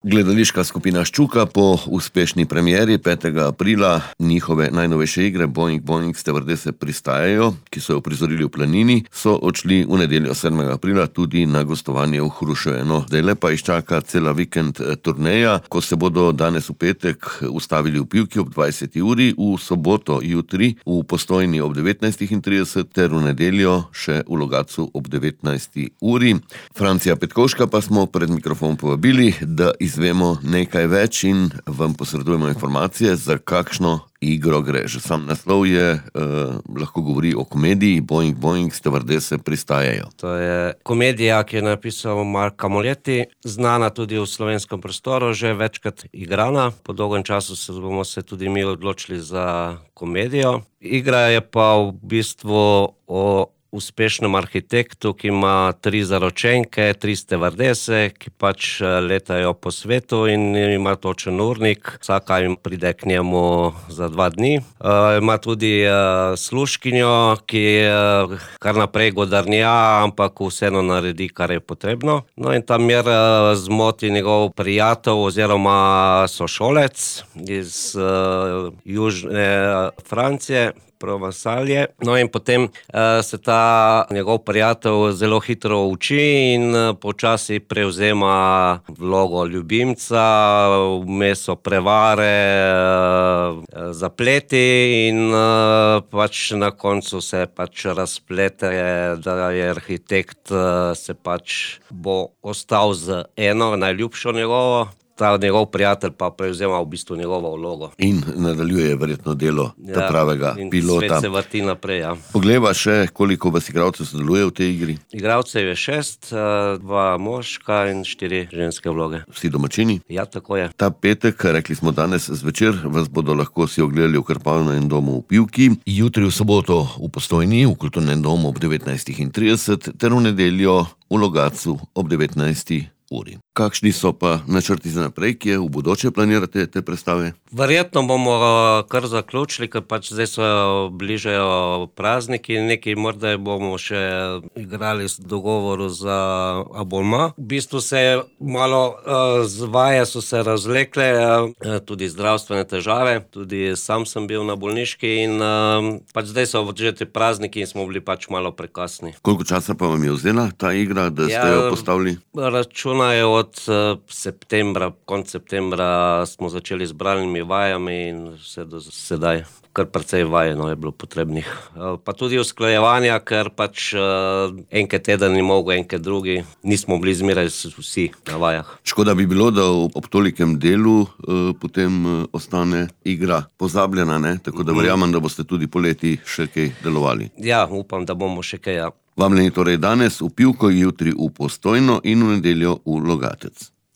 Gledališka skupina Ščuka po uspešni premieri 5. aprila njihove najnovejše igre Boing Boing stevardese pristajajo, ki so jo uprizorili v Planini, so odšli v nedeljo 7. aprila tudi na gostovanje v Hruševeno. Zdajle pa jih čaka cela vikend turneja, ko se bodo danes v petek ustavili v Pivki ob 20. uri, v soboto jutri v Postojni ob 19.30 ter v nedeljo še v Logatcu ob 19. uri. Francija Petkovška pa smo pred mikrofon povabili, da izvemo nekaj več in vam posredujemo informacije, za kakšno igro gre. Že sam naslov je, lahko govori o komediji Boing Boing stevardese pristajajo. To je komedija, ki je napisal Mark Camolletti, znana tudi v slovenskem prostoru, že večkrat igrana. Po dolgem času bomo se tudi mi odločili za komedijo. Igra je pa v bistvu o uspešnem arhitektu, ki ima 3 zaročenke, 3 stevardese, ki pač letajo po svetu in ima točen urnik. Vsaka jim pride k njemu za 2 dni. Ima tudi služkinjo, ki kar naprej godarnja, ampak vseeno naredi, kar je potrebno. No in tam mir zmoti njegov prijatelj oziroma sošolec iz južne Francije, Provensalje. No in potem se ta njegov prijatelj zelo hitro uči in počasi prevzema vlogo ljubimca, vmes so prevare, zapleti in pač na koncu se pač razplete, da je arhitekt se pač bo ostal z eno najljubšo njegovo. Ta njegov prijatelj pa prevzema v bistvu njegovo vlogo. In nadaljuje verjetno delo ta pravega pilota. In svet se vrti naprej, ja. Poglejva še, koliko vas igralcev sodeluje v tej igri. Igralcev je 6, 2 moška in 4 ženske vloge. Vsi domačini? Ja, tako je. Ta petek, rekli smo danes zvečer, vas bodo lahko si ogledali v Krpalnem domu v Pivki, jutri v soboto v Postojni, v Kulturnem domu ob 19.30 ter v nedeljo v Logatcu ob 19. uri. Kakšni so pa načrti za naprej, kje v bodoče planirate te predstave? Verjetno bomo kar zaključili, ker pač zdaj se bližajo prazniki, nekaj morda bomo še igrali v dogovoru za abonma. V bistvu se je malo vaje so se razvlekle, tudi zdravstvene težave, tudi sam sem bil na bolniški in pač zdaj so že te prazniki in smo bili pač malo prekasni. Koliko časa pa vam je vzela ta igra, da ste jo postavili? Računajo od septembra, konec septembra smo začeli z bralnimi vajami in vse do sedaj. Kar precej vajeno je bilo potrebnih. Pa tudi usklajevanja, ker pač enkrat teden ni mogel, enkrat drugi. Nismo bili zmeraj vsi na vajah. Škoda bi bilo, da ob tolikem delu potem ostane igra pozabljena, ne? Tako da verjamem, da boste tudi poleti še kaj delovali. Ja, upam, da bomo še kaj, ja. Vabljeni torej danes v Pivko, jutri v Postojno in v nedeljo v Logatec.